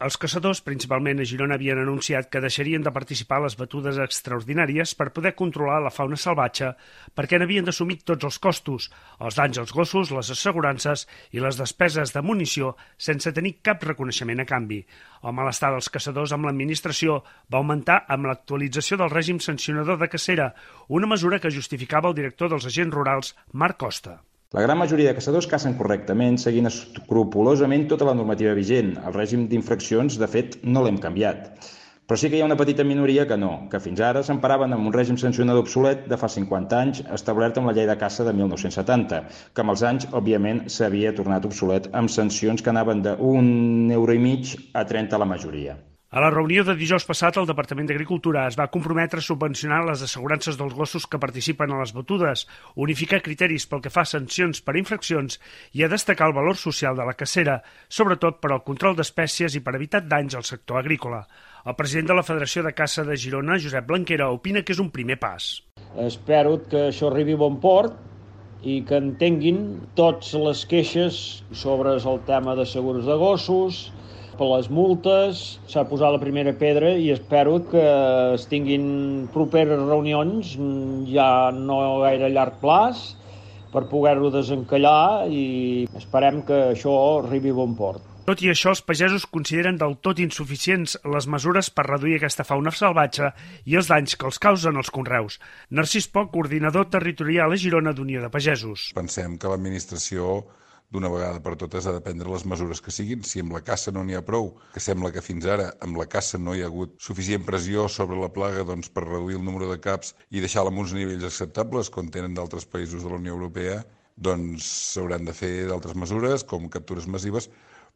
Els caçadors, principalment a Girona, havien anunciat que deixarien de participar a les batudes extraordinàries per poder controlar la fauna salvatge perquè n'havien d'assumir tots els costos, els danys als gossos, les assegurances i les despeses de munició sense tenir cap reconeixement a canvi. El malestar dels caçadors amb l'administració va augmentar amb l'actualització del règim sancionador de cacera, una mesura que justificava el director dels agents rurals, Marc Costa. La gran majoria de caçadors cacen correctament, seguint escrupolosament tota la normativa vigent. El règim d'infraccions, de fet, no l'hem canviat. Però sí que hi ha una petita minoria que no, que fins ara s'emparaven amb un règim sancionador obsolet de fa 50 anys, establert amb la llei de caça de 1970, que amb els anys, òbviament, s'havia tornat obsolet amb sancions que anaven d'1,5 € a 30 la majoria. A la reunió de dijous passat, el Departament d'Agricultura es va comprometre a subvencionar les assegurances dels gossos que participen a les batudes, unificar criteris pel que fa a sancions per infraccions i a destacar el valor social de la cacera, sobretot per al control d'espècies i per evitar danys al sector agrícola. El president de la Federació de Caça de Girona, Josep Blanquera, opina que és un primer pas. Espero que això arribi a bon port i que entenguin totes les queixes sobre el tema de segurs de gossos, per les multes, s'ha posat la primera pedra i espero que es tinguin properes reunions, ja no gaire a llarg plaç, per poder-ho desencallar i esperem que això arribi a bon port. Tot i això, els pagesos consideren del tot insuficients les mesures per reduir aquesta fauna salvatge i els danys que els causen els conreus. Narcís Poch, coordinador territorial a Girona d'Unió de Pagesos. Pensem que l'administració d'una vegada per totes ha de prendre les mesures que siguin. Si amb la caça no n'hi ha prou, que sembla que fins ara amb la caça no hi ha hagut suficient pressió sobre la plaga per reduir el número de caps i deixar-la en uns nivells acceptables, com tenen d'altres països de la Unió Europea, doncs s'hauran de fer d'altres mesures, com captures massives,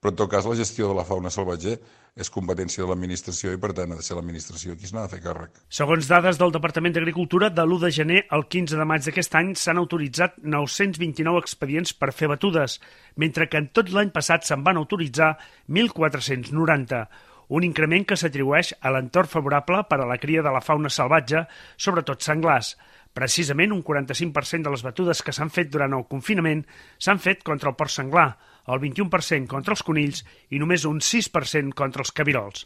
però en tot cas la gestió de la fauna salvatge és competència de l'administració i per tant ha de ser l'administració qui se n'ha de fer càrrec. Segons dades del Departament d'Agricultura, de l'1 de gener al 15 de maig d'aquest any s'han autoritzat 929 expedients per fer batudes, mentre que en tot l'any passat se'n van autoritzar 1.490, un increment que s'atribueix a l'entorn favorable per a la cria de la fauna salvatge, sobretot senglars. Precisament un 45% de les batudes que s'han fet durant el confinament s'han fet contra el porc senglar, el 21% contra els conills i només un 6% contra els cabirols.